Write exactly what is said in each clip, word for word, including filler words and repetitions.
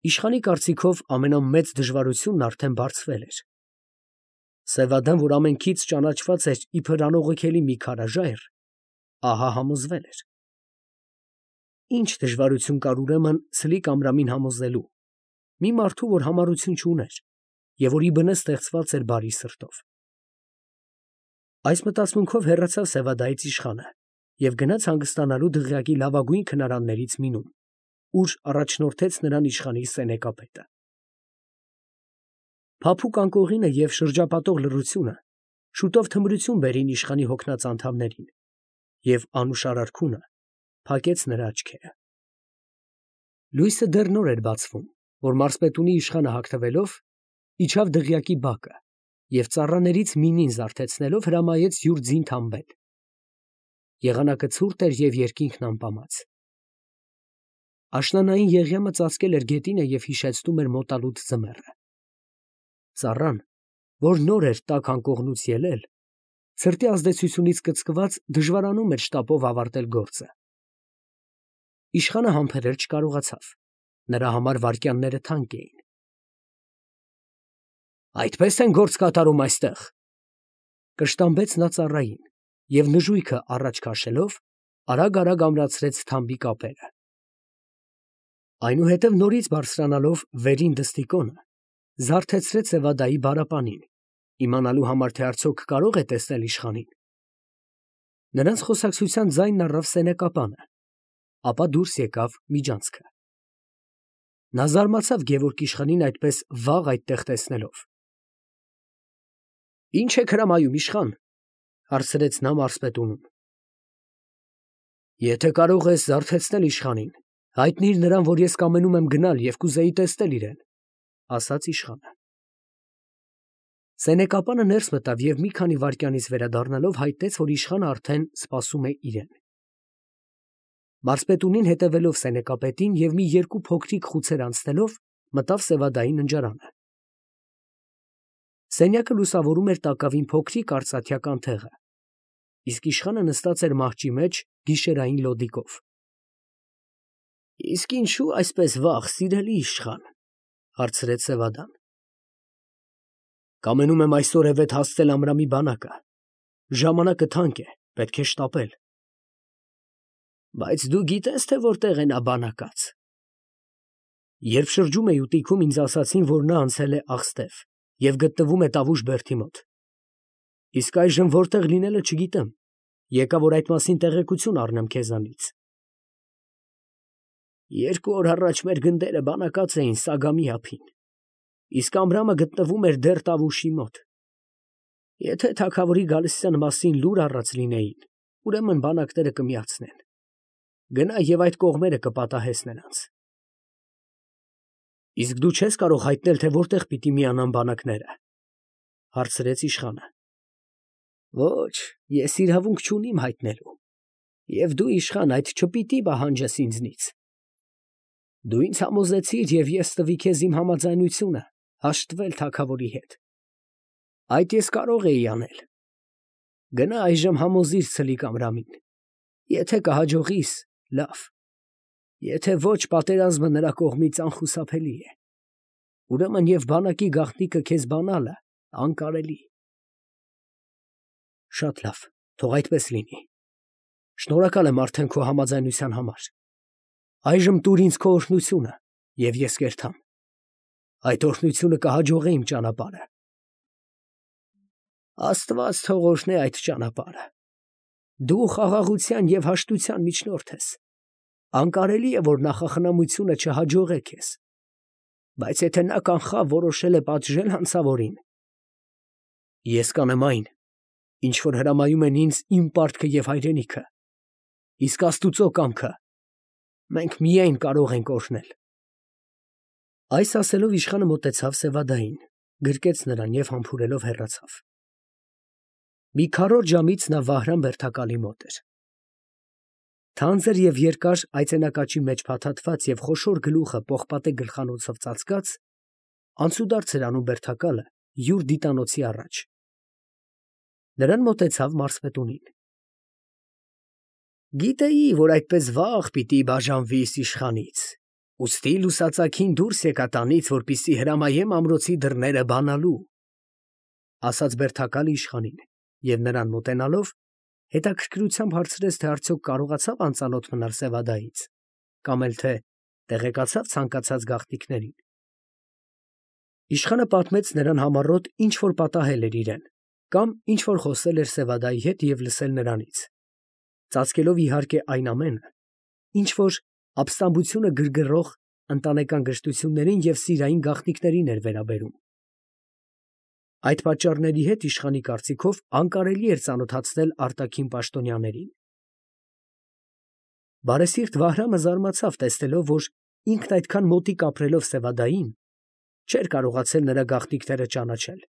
Իշխանի կարծիքով ամենամեծ դժվարությունն արդեն բարձվել էր։ Սևադան, որ ամենքից ճանաչված էր իբր անողոքելի մի քարաժայռ, ահա համոզվել էր։ Ինչ դժվարություն կար ուրեմն Սլիկ Ամրամին համոզելու, մի մարդու, որ համառություն չուներ և որի բնը ստեղծված էր բարի սրտով։ Այս մտածմունքով հեռացավ Սևադայից իշխանը և գնաց հանգստանալու դղյակի լավագույն քնարաններից մեկում, ուր առաջնորդեց նրան իշխանի սենեկապետը։ Փափուկ անկողինը և շրջապատող լռությունը շուտով թմրություն բերին իշխանի հոգնած անդամներին, և անուշ արարքունը փակեց նրա աչքերը։ Լույսը դեռ նոր էր բացվում, որ մարզպետունի իշխանը հագնվելով, իջավ դղյակի բակը և ծառաներից միմին զարթեցնելով հրամայեց յուր ձին թամբել։ Եղանակը ցուրտ էր և երկինքն ամպամած։ Աշնանային եղյամը ծածկել էր գետինը և հիշեցնում էր մոտալուտ ձմեռը։ Ծառան, որ նոր էր տաք անկողնուց ելել, սրտի ազդեցությունից կծկված դժվարանում էր շտապով ավարտել գործը։ Իշխանը համբերել չկարողացավ, նրա համար վայրկյանները թանկ էին։ Այդպե՞ս են գործ կատարում այստեղ, ֊ կշտամբեց նա ծառային և նժույգը առաջ քաշելով, արագ֊արագ ամրացրեց թամբի կապերը։ Այնուհետև նորից բարձրանալով վերին դստիկոնը, զարթեցրեց Սևադայի բարապանին, իմանալու համար, թե արդյոք կարո՞ղ է տեսնել իշխանին։ Նրանց խոսակցության ձայնն առավ սենեկապանը, ապա դուրս եկավ միջանցքը։ Նա զարմացավ գևորգ իշխանին այդպես վաղ այդտեղ տեսնելով։ ֊ Ի՞նչ եք հրամայում, իշխան, ֊ հարցրեց նա մարզպետունուն։ ֊ Եթե կարող ես զարթեցնել իշխանին, հայտնիր նրան, որ ես կամենում եմ գնալ և կուզեի տեսնել իրան, ֊ ասաց իշխանը։ Սենեկապանը ներս մտավ և մի քանի վայրկյանից վերադառնալով հայտնեց, որ իշխանը արդեն սպասում է իրեն։ Մարզպետունին հետևելով սենեկապետին և մի երկու փոքրիկ խուցեր անցնելով, մտավ Սևադայի ննջարանը։ Սենյակը լուսավորում էր տակավին փոքրիկ արծաթյակ անթեղը, իսկ իշխանը նստած էր մահճի մեջ գիշերային լոդիկով։ ֊ Իսկ ինչո՞ւ այսպես վաղ, սիրելի իշխան, ֊ հարցրեց Սևադան։ ֊ Կամենում եմ այսօրևեթ հասցնել Ամրամի բանակը. ժամանակը թանկ է, պետք է շտապել։ ֊ Բայց դու գիտե՞ս, թե որտեղ է նա բանակած։ ֊ Երբ շրջում էի ուտիքում, ինձ ասացին, որ նա անցել է Աղստև և գտնվում է Տավուշ բերդի մոտ։ Իսկ այժմ որտեղ լինելը չգիտեմ, եկա, որ այդ մասին տեղեկություն առնեմ քեզանից։ ֊ Երկու օր առաջ մեր գնդերը բանակած էին Սագամի ափին, իսկ Ամրամը գտնվում էր դեռ Տավուշի մոտ։ Եթե թագավորի գալստյան մասին լուր առած լինեին, ուրեմն բանակները կմիացնեն։ Գնա և այդ կողմերը կպատահես նրանց։ ֊ Իսկ դու չես կարող հայտնել, թե որտեղ պիտի միանան բանակները, ֊ հարցրեց իշխանը։ ֊ Ոչ, ես իրավունք չունիմ հայտնելու, և դու, իշխան, այդ չպիտի պահանջես ինձնից։ Դու ինձ համոզեցիր, և ես տվի քեզ իմ համաձայնությունը հաշտվել թագավորի հետ։ Այդ ես կարող էի անել։ Գնա այժմ համոզիր Սլիկ Ամրամին. եթե կհաջողիս, լավ, եթե ոչ, պատերազմը նրա կողմից անխուսափելի է, ուրեմն և բանակի գաղտնիքը քեզ բանալը անկարելի։ ֊ Շատ լավ, թող այդպես լինի։ Շնորհակալ եմ արդեն քո համաձայնության համար։ Այժմ տուր ինձ քո օրհնությունը, և ես կերթամ։ Այդ օրհնությունը կհաջողե իմ ճանապարհը։ ֊ Աստված թող օրհնե այդ ճանապարհը։ Դու խաղաղության և հաշտության միջնորդ ես։ Անկարելի է, որ նախախնամությունը չհաջողե քեզ։ Բայց եթե նա կանխավ որոշել է պատժել հանցավորին, ես կանեմ այն, ինչ որ հրամայում են ինձ իմ պարտքը և հայրենիքը, իսկ աստուծո կամքը մենք միայն կարող ենք օրհնել։ Այս ասելով իշխանը մոտեցավ Սևադային, գրկեց նրան և համբուրելով հեռացավ։ Մի քառորդ ժամից նա Վահրամ բերդակալի մոտ էր։ Թանձր և երկար այծենակաճի մեջ փաթաթված և խոշոր գլուխը պողպատե գլխանոցով ծածկած, անցուդարձ էր անում բերդակալը յուր դիտանոցի առաջ։ Նրան մոտեցավ մարզպետունին։ ֊ Գիտեի, որ այդպես վաղ պիտի բաժանվիս իշխանից, Ուստի լուսածագին դուրս եկա տանից, որպեսզի հրամայեմ ամրոցի դռները բանալու, ասաց բերդակալը իշխանին, և նրան մոտենալով, հետաքրքրությամբ հարցրեց, թե արդյոք կարողացավ անծանոթ մնալ Սևադայից, կամ էլ թե տեղեկացավ ցանկացած գաղտնիքներին։ Իշխանը պատմեց նրան համառոտ, ինչ որ պատահել էր իրեն, կամ ինչ որ խոսել էր Սևադայի հետ և լսել նրանից, ծածկելով իհարկե այն ամենը, ինչ որ ապստամբությունը գրգռող ընտանեկան գրստություններին և սիրային գաղտնիքներին էր վերաբերում։ Այդ պատճառների հետ իշխանի կարծիքով անկարելի էր ծանոթացնել արտաքին պաշտոնյաներին։ Բարեսիրտ Վահրամը զարմացավ, տեսնելով, որ ինքն այդքան մոտիկ ապրելով Սևադային, չէր կարողացել նրա գաղտնիքները ճանաչել,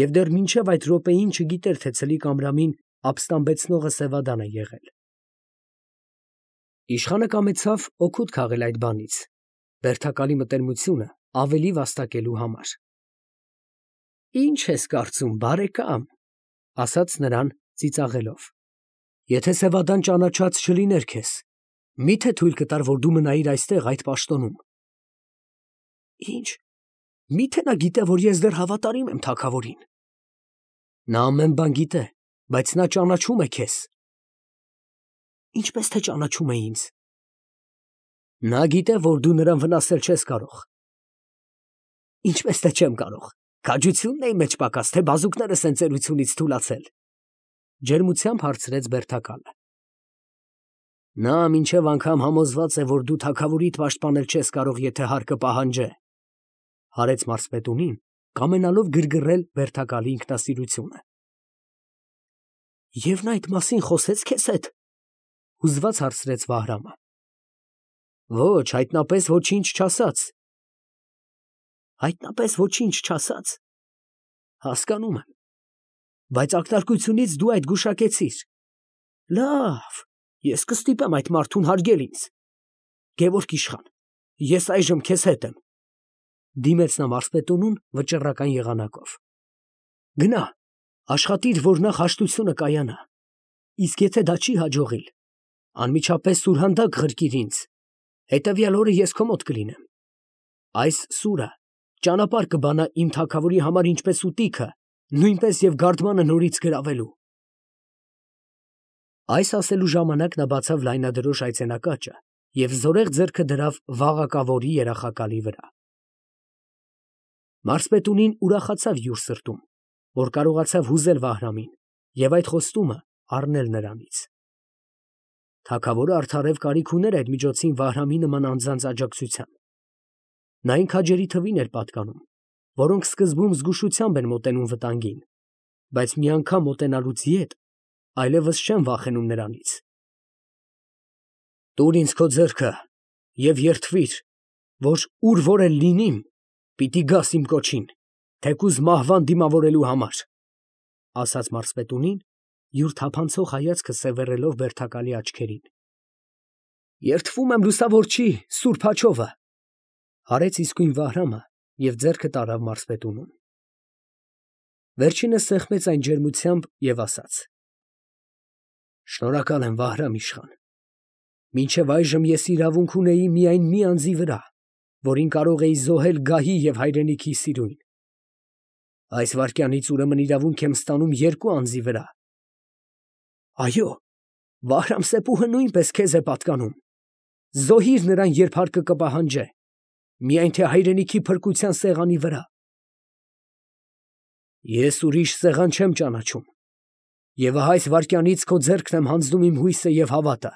և դեռ մինչև այդ րոպեին չգիտեր, թե ցլիկ ամրամին ապստամբեցնողը Սևադան է եղել։ Իշխանը կամեցավ օգուտ քաղել այդ բանից, բերդակալի մտերմությունը ավելի վաստակելու համար։ Ի՞նչ ես կարծում, բարեկամ, ասաց նրան ծիծաղելով, եթե Սևադան ճանաչած չլիներ քեզ, մի՞թե թույլ կտար, որ դու մնայիր այստեղ այդ պաշտոնում։ Ի՞նչ, մի՞թե նա գիտե, որ ես դեռ հավատարիմ եմ թագավորին։ Նա ամեն բան գիտե, բայց նա ճանաչում է քեզ։ Ինչպես թե ճանաչում է ինձ։ Նա գիտե, որ դու նրան վնասել չես կարող։ Ինչպես թե չեմ կարող, քաջությունն է իմ մեջ պակաս, թե բազուկներս են ծերությունից թուլացել, ջերմությամբ հարցրեց բերդակալը։ Նա մինչև անգամ համոզված է, որ դու թագավորիդ պաշտպանել չես կարող, եթե հարկը պահանջե, հարեց մարզպետունին, կամենալով գրգռել բերդակալի ինքնասիրությունը։ Եվ նա այդ մասին խոսեց քեզ հետ, հուզված հարցրեց Վահրամը։ Ոչ, հայտնապես ոչինչ չասաց։ Հայտնապես ոչինչ չասաց։ Հասկանում եմ, բայց ակնարկությունից դու այդ գուշակեցիր։ Լավ, ես կստիպեմ այդ մարդուն հարգել ինձ։ Գևորգ իշխան, ես այժմ քեզ հետ եմ, դիմեց նա մարզպետունուն վճռական եղանակով։ Գնա, աշխատիր, որ նախ հաշտությունը կայանա, իսկ եթե դա չի հաջողիլ, անմիջապես սուրհանդակ ղրկիր ինձ, հետևյալ օրը ես քո մոտ կլինեմ։ Այս սուրը ճանապարհ կբանա իմ թագավորի համար ինչպես ուտիքը, նույնպես և գարդմանը նորից գրավելու։ Այս ասելու ժամանակ նա բացավ լայնադրոշ այցենակաճը և զորեղ ձեռքը դրավ վաղակավորի երախակալի վրա։ Մարզպետունին ուրախացավ յուր սրտում, որ կարողացավ հուզել Վահրամին և այդ խոստումը առնել նրանից։ Թագավորը արդարև կարիք ուներ այդ միջոցին Վահրամի նման անձանց աջակցության։ Նա այն քաջերի թվին էր պատկանում, որոնք սկզբում զգուշությամբ են մոտենում վտանգին, բայց մի անգամ մոտենալուց ետ այլևս չեն վախենում նրանից։ Տուր ինձ քո ձեռքը և երդվիր, որ ուր որ էլ լինիմ, պիտի գաս իմ կոչին, թեկուզ մահվան դիմավորելու համար, ասաց մարզպետունին, յուր թափանցող հայացքը սևեռելով բերդակալի աչքերին։ Երդվում եմ լուսավորչի սուրբ հաչովը, հարեց իսկույն Վահրամը և ձեռքը տարավ մարզպետունուն։ Վերջինս սեղմեց այն ջերմությամբ և ասաց. Շնորհակալ եմ, Վահրամ իշխան։ Մինչև այժմ ես իրավունք ունեի միայն մի անձի վրա, որին կարող էի զոհել գահի և հայրենիքի սիրուն։ Այս վայրկյանից ուրեմն իրավունք եմ ստանում երկու անձի վրա։ Այո, Վահրամ Սեպուհը նույնպես քեզ է պատկանում։ Զոհիր նրան, երբ հարկը կպահանջե, միայն թե հայրենիքի փրկության սեղանի վրա։ Ես ուրիշ սեղան չեմ ճանաչում, և ահա այս վայրկյանից քո ձեռքն եմ հանձնում իմ հույսը և հավատը։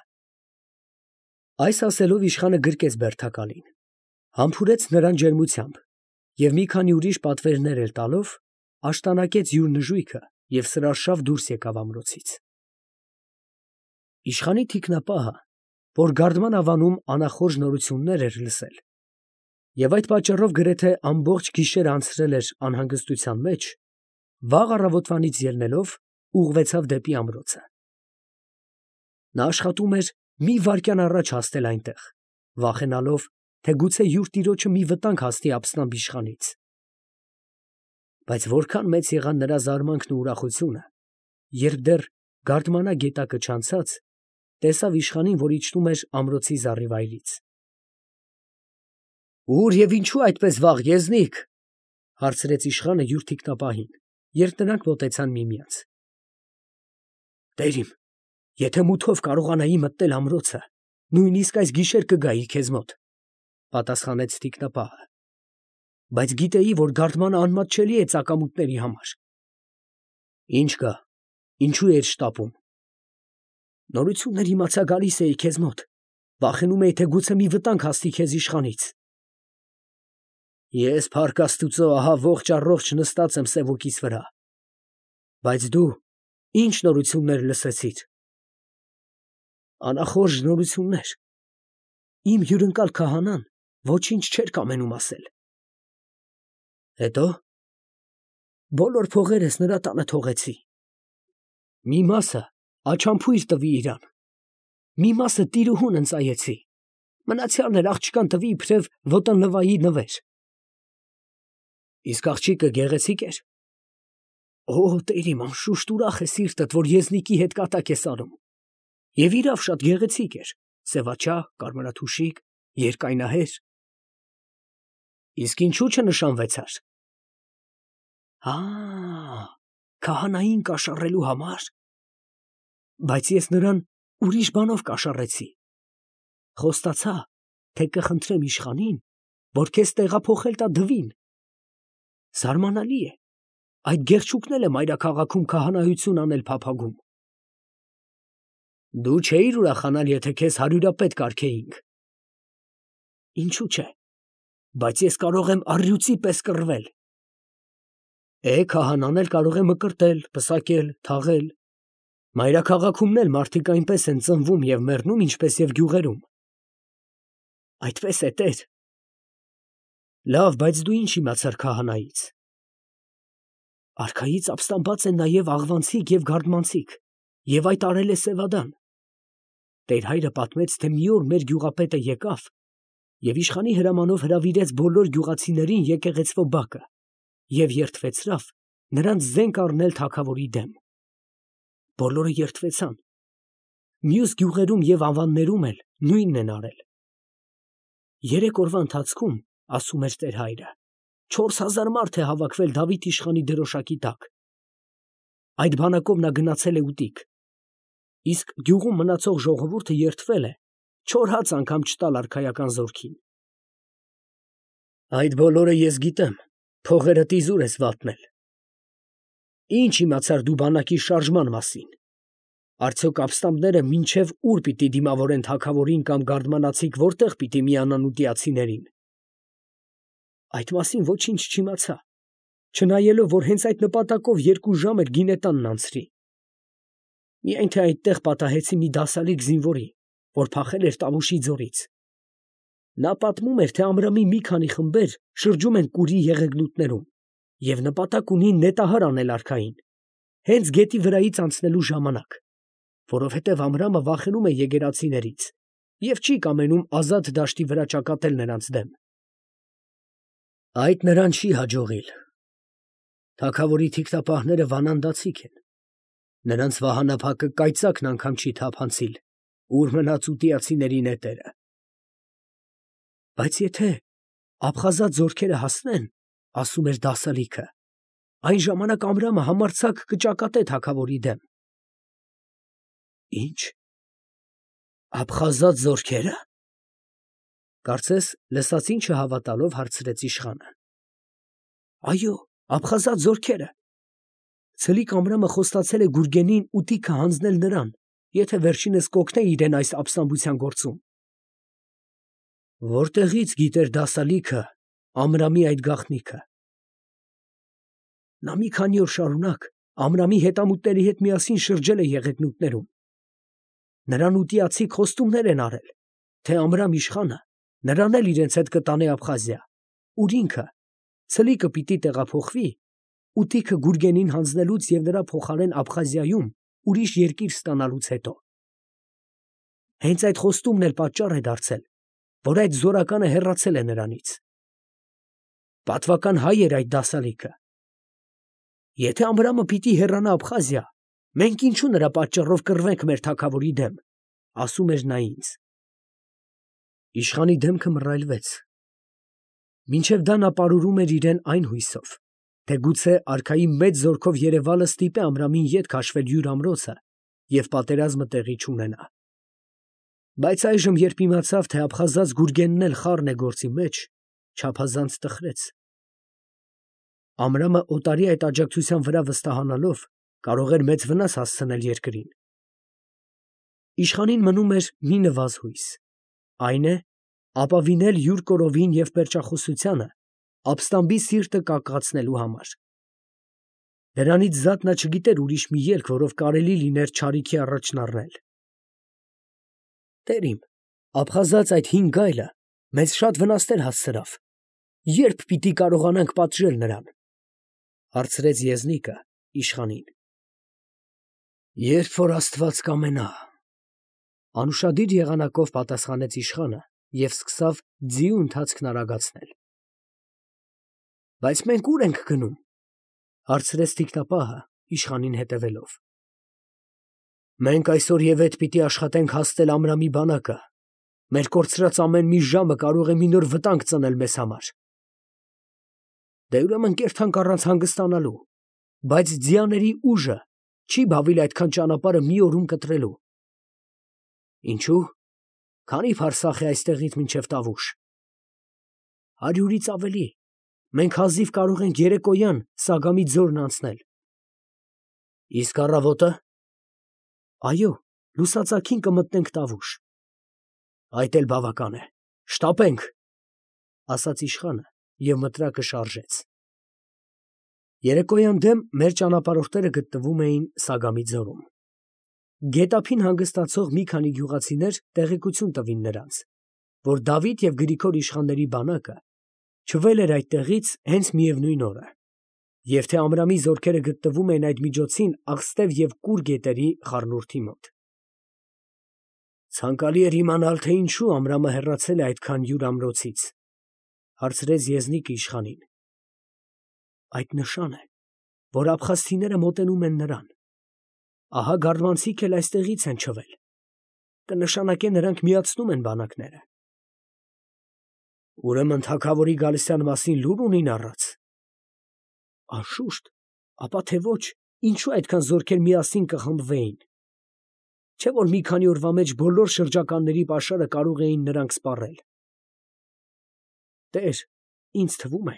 Այս ասելով իշխանը գրկեց բերդակալին, համբուրեց նրան ջերմությամբ և մի քանի ուրիշ պատվերներ էլ տալով, աշտանակեց յուր նժույգը և սրարշավ դուրս եկավ ամրոցից։ Իշխանի թիկնապահը, որ գարդման ավանում անախորժ նորություններ էր լսել, և այդ պատճառով գրեթե ամբողջ գիշերը անցրել էր անհանգստության մեջ, վաղ առավոտվանից ելնելով, ուղղվեցավ դեպի ամրոցը։ Նա աշխատում էր մի վայրկյան առաջ հասնել այնտեղ, վախենալով, թե գուցե յուր տիրոջը մի վտանգ հասնի ապստամբ իշխանից։ Բայց որքան մեծ եղան նրա զարմանքն ու ուրախությունը, երբ դեռ գարդմանա գետակը չանցած, տեսավ իշխանին, որ իջնում էր ամրոցի զառիվայրից։ Ուր և ինչու այդպես վաղ, եզնիկ, հարցրեց իշխանը յուր թիկնապահին, երբ նրանք մոտեցան միմյանց։ Տեր իմ, եթե մութով կարողանայի մտնել ամրոցը, նույնիսկ այս գիշեր կգայի քեզ մոտ, պատասխանեց թիկնապահը, բայց գիտեի, որ գարդմանը անմատչելի է ծակամուտների համար։ Ինչ կա, ինչու էիր շտապում։ Նորություններ իմացա, գալիս էի քեզ մոտ, վախենում էի, թե գուցե մի վտանգ հասնի քեզ իշխանից։ Ես փառք Աստուծո ահա ողջ առողջ նստած եմ սևոքիս վրա։ Բայց դու ինչ նորություններ լսեցիր։ Անախորժ նորություններ։ Իմ հյուրընկալ քահանան ոչինչ չէր կամենում ասել։ Հետո բոլոր փողերս նրա տանը թողեցի։ Մի մասը աչամփույր տվի իրան, մի մասը տիրուհուն ընծայեցի, մնացյալն էլ աղջկան տվի իբրև ոտնլվայի նվեր։ Իսկ աղջիկը գեղեցիկ էր։ Օ, Տեր իմ, անշուշտ ուրախ է սիրտդ, որ եզնիկի հետ կատակ ես անում։ Եվ իրավ շատ գեղեցիկ էր, սևաչա, կարմրաթուշիկ, երկայնահեր։ Իսկ ինչու չնշանվեցար։ Հա, քահանային կաշառելու համար։ Բայց ես նրան ուրիշ բանով կաշառեցի։ Խոստացա, թե կխնդրեմ իշխանին, որ քեզ տեղափոխել տա Դվին։ Զարմանալի է, այդ գեղչուկն էլ է մայրաքաղաքում քահանայություն անել փափագում։ Դու չէիր ուրախանալ, եթե քեզ հարյուրապետ կարգեինք։ Ինչու՞ չէ, բայց ես կարող եմ առյուծի պես կռվել։ Է, քահանան էլ կարող է մկրտել, պսակել, թաղել։ Մայրաքաղաքումն էլ մարդիկ այնպես են ծնվում և մեռնում, ինչպես և գյուղերում։ Այդպես է, Տեր։ Լավ, բայց դու ինչ իմացար քահանայից։ Արքայից ապստամբած են նաև աղվանցիկ և գարդմանցիկ, և այդ արել է Սևադան։ Տեր հայրը պատմեց, թե մի օր մեր գյուղապետը եկավ և իշխանի հրամանով հրավիրեց բոլոր գյուղացիներին եկեղեցվո բակը և երդվեցրավ նրանց զենք առնել թագավորի դեմ։ Բոլորը երդվեցան։ Մյուս գյուղերում և ավաններում էլ նույնն են արել։ Երեք օրվա ընթացքում, ասում էր Տեր հայրը, չորս հազար մարդ է հավաքվել Դավիթ իշխանի դրոշակի տակ։ Այդ բանակով նա գնացել է ուտիկ, իսկ գյուղում մնացող ժողովուրդը երդվել է չոր հաց անգամ չտալ արքայական զորքին։ Այդ բոլորը ես գիտեմ, փողերդ իզուր ես վատնել։ Ինչ իմացար դու բանակի շարժման մասին։ Արդյոք ապստամբները մինչև ուր պիտի դիմավորեն թագավորին կամ գարդմանացիք որտեղ պիտի միանան ուտիացիներին։ Այդ մասին ոչինչ չիմացա, չնայելով, որ հենց այդ նպատակով երկու ժամ էր գինետանն անցրի։ Միայն թե այդտեղ պատահեցի մի դասալիկ զինվորի, որ փախել էր Տավուշի ձորից։ Նա պատմում էր, թե Ամրամի մի քանի խմբեր շրջում են Կուրի եղեգնուտներում և նպատակ ունին նետահար անել արքային, հենց գետի վրայից անցնելու ժամանակ, որովհետև Ամրամը վախենում է եկեղեցիներից և չի կամենում ազատ դաշտի վրա ճակատել նրանց դեմ։ Այդ նրան չի հաջողիլ։ Թագավորի թիկնապահները վանանդացիք են։ Նրանց վահանափակը կայծակն անգամ չի թափանցիլ, ուր մնաց ուտիացիների նետերը։ Բայց եթե աբխազատ զորքերը հասնեն, ասում էր դասալիքը, այն ժամանակ Ամրամը համարձակ կճակատե թագավորի դեմ։ Ինչ, աբխազատ զորքերը։ Կարծես լսածին չհավատալով հարցրեց իշխանը։ Այո, աբխազատ զորքերը։ Ցլիկ Ամրամը խոստացել է Գուրգենին ուտիքը հանձնել նրան, եթե վերջինս կօգնե իրեն այս ապստամբության գործում։ Որտեղից գիտեր դասալիքը Ամրամի այդ գաղտնիքը։ Նա մի քանի օր շարունակ Ամրամի հետամուտների հետ միասին շրջել է եղեգնուտներում։ Նրան ուտիացիք խոստումներ են արել, թե Ամրամ իշխանը նրան էլ իրենց հետ կտանե Աբխազիա, ուր ինքը ցլիկը պիտի տեղափոխվի ուտիքը Գուրգենին հանձնելուց և նրա փոխարեն Աբխազիայում ուրիշ երկիր ստանալուց հետո։ Հենց այդ խոստումն էլ պատճառ է դարձել, որ այդ զորականը հեռացել է նրանից։ Պատվական հայ էր այդ դասալիքը։ Եթե Ամրամը պիտի հեռանա Աբխազիա, մենք ինչու նրա պատճառով կռվենք մեր թագավորի դեմ, ասում էր նա ինձ։ Իշխանի դեմքը մռայլվեց։ Մինչև դա նա պարուրում էր իրեն այն հույսով, թե գուցե արքայի մեծ զորքով Երևալը ստիպե Ամրամին ետ քաշվել յուր ամրոցը և պատերազմը տեղի չունենա։ Բայց այժմ, երբ իմացավ, թե աբխազած Գուրգենն էլ խառն է գործի մեջ, չափազանց տխրեց։ Ամրամը օտարի այդ աջակցության վրա վստահանալով կարող էր մեծ վնաս հասցնել երկրին։ Իշխանին մնում էր մի նվազ հույս, այն է ապավինել յուր կորովին և պերճախոսությանը ապստամբի սիրտը կակղացնելու համար։ Դրանից զատ նա չգիտեր ուրիշ մի ելք, որով կարելի լիներ չարիքի առաջն առնել։ Տեր իմ, աբխազած այդ հին գայլը մեզ շատ վնասներ հասցրավ, ե՞րբ պիտի կարողանանք պատժել նրան, հարցրեց եզնիկը իշխանին։ Երբ որ Աստված կամենա, անուշադիր եղանակով պատասխանեց իշխանը և սկսավ ձիու ընթացքն արագացնել։ Բայց մենք ո՞ւր ենք գնում, հարցրեց թիկնապահը իշխանին հետևելով։ Մենք այսօր պիտի աշխատենք հասնել Ամրամի բանակը, մեր կորցրած ամեն մի ժամը կարող է մի նոր վտանգ ծնել մեզ համար։ Դե ուրեմն կերթանք առանց հանգստանալու, բայց ձիաների ուժը չի բավիլ այդքան ճանապարհը մի օրում կտրելու։ Ինչու՞։ Քանի՞ փարսախ է այստեղից մինչև Տավուշ։ Հարյուրից ավելի, մենք հազիվ կարող ենք երեկոյան Սագամի ձորն անցնել։ Իսկ առավոտը։ Այո, լուսածագին կմտնենք Տավուշ։ Այդ էլ բավական է, շտապենք, ասաց իշխանը և մտրակը շարժեց։ Երեկոյան դեմ մեր ճանապարհորդները գտնվում էին Սագամի ձորում։ Գետափին հանգստացող մի քանի գյուղացիներ տեղեկություն տվին նրանց, որ Դավիթ և Գրիգոր իշխանների բանակը չվել էր այդտեղից հենց միևնույն օրը, և թե Ամրամի զորքերը գտնվում էին այդ միջոցին Աղստև և Կուր գետերի խառնուրդի մոտ։ Ցանկալի էր իմանալ, թե ինչու Ամրամը հեռացել է այդքան յուր ամրոցից, հարցրեց եզնիկը իշխանին։ Այդ նշան է, որ աբխազցիները մոտենում են նրան։ Ահա գարդմանցիք էլ այստեղից են չվել, կնշանակե նրանք միացնում են բանակները։ Ուրեմն թագավորի գալստյան մասին լուր ունին առած։ Անշուշտ, ապա թե ոչ, ինչու այդքան զորքեր միասին կխմբվեին։ Չէ՞ որ մի քանի օրվա մեջ բոլոր շրջականների պաշարը կարող էին նրանք սպառել։ Տեր, ինձ թվում է,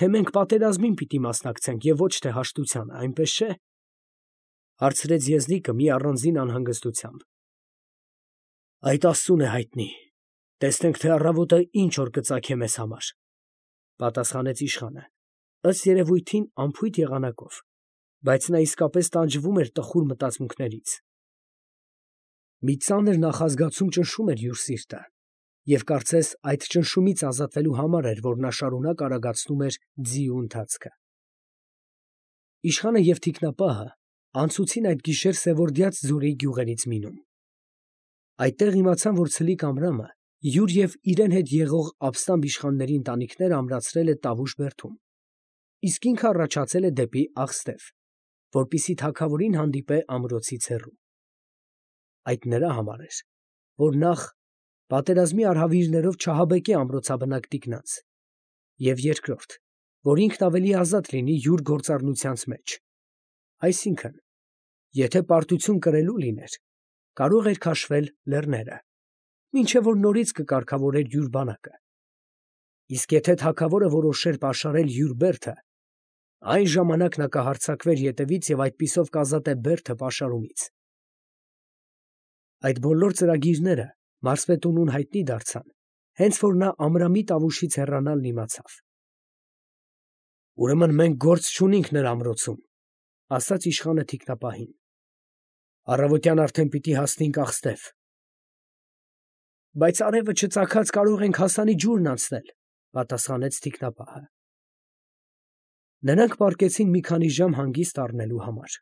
թե մենք պատերազմին պիտի մասնակցենք և ոչ թե հաշտությանը, այնպես չէ՞, հարցրեց եզնիկը մի առանձին անհանգստությամբ։ Այդ Աստծուն է հայտնի, տեսնենք, թե առավոտը ինչ օր կծագե մեզ համար, պատասխանեց իշխանը, ըստ երևույթին անփույթ եղանակով, բայց նա իսկապես տանջվում էր տխուր մտածմունքներից։ Մի ծանր նախազգացում ճնշում էր յուր սիրտը, և կարծես այդ ճնշումից ազատվելու համար էր, որ նա շարունակ արագացնում էր ձիու ընթացքը։ Իշխանը և թիկնապահը անցուցին այդ գիշեր Սևորդյաց ձորի գյուղերից մինում։ Այդտեղ իմացան, որ Ցլիկ Ամրամը յուր և իրեն հետ եղող ապստամբ իշխանների ընտանիքները ամրացրել է Տավուշ բերդում, իսկ ինքը առաջացել է դեպի Աղստև, որպեսզի թագավորին հանդիպե ամրոցից հեռու։ Այդ նրա համար էր, որ նախ պատերազմի արհավիրներով չհաբեկե ամրոցաբնակ տիկնանց, և երկրորդ, որ ինքն ավելի ազատ լինի յուր գործառնությանց մեջ, այսինքն, եթե պարտություն կրելու լիներ, կարող էր քաշվել լեռները, մինչև որ նորից կկարգավորեր յուր բանակը, իսկ եթե թագավորը որոշեր պաշարել յուր բերդը, այն ժամանակ նա կհարձակվեր ետևից և այդպիսով կազատե բերդը պաշարումից։ Այդ բոլոր ծրագիրները մարզպետունուն հայտնի դարձան, հենց որ նա Ամրամի Տավուշից հեռանալն իմացավ։ Ուրեմն մենք գործ չունենք նրա ամրոցում, ասաց իշխանը թիկնապահին։ Առավոտյան արդեն պիտի հասնենք Աղստև։ Բայց արևը չծագած կարող ենք հասանի ջուրն անցնել, պատասխանեց թիկնապահը։ Նրանք պառկեցին մի քանի ժամ հանգիստ առնելու համար։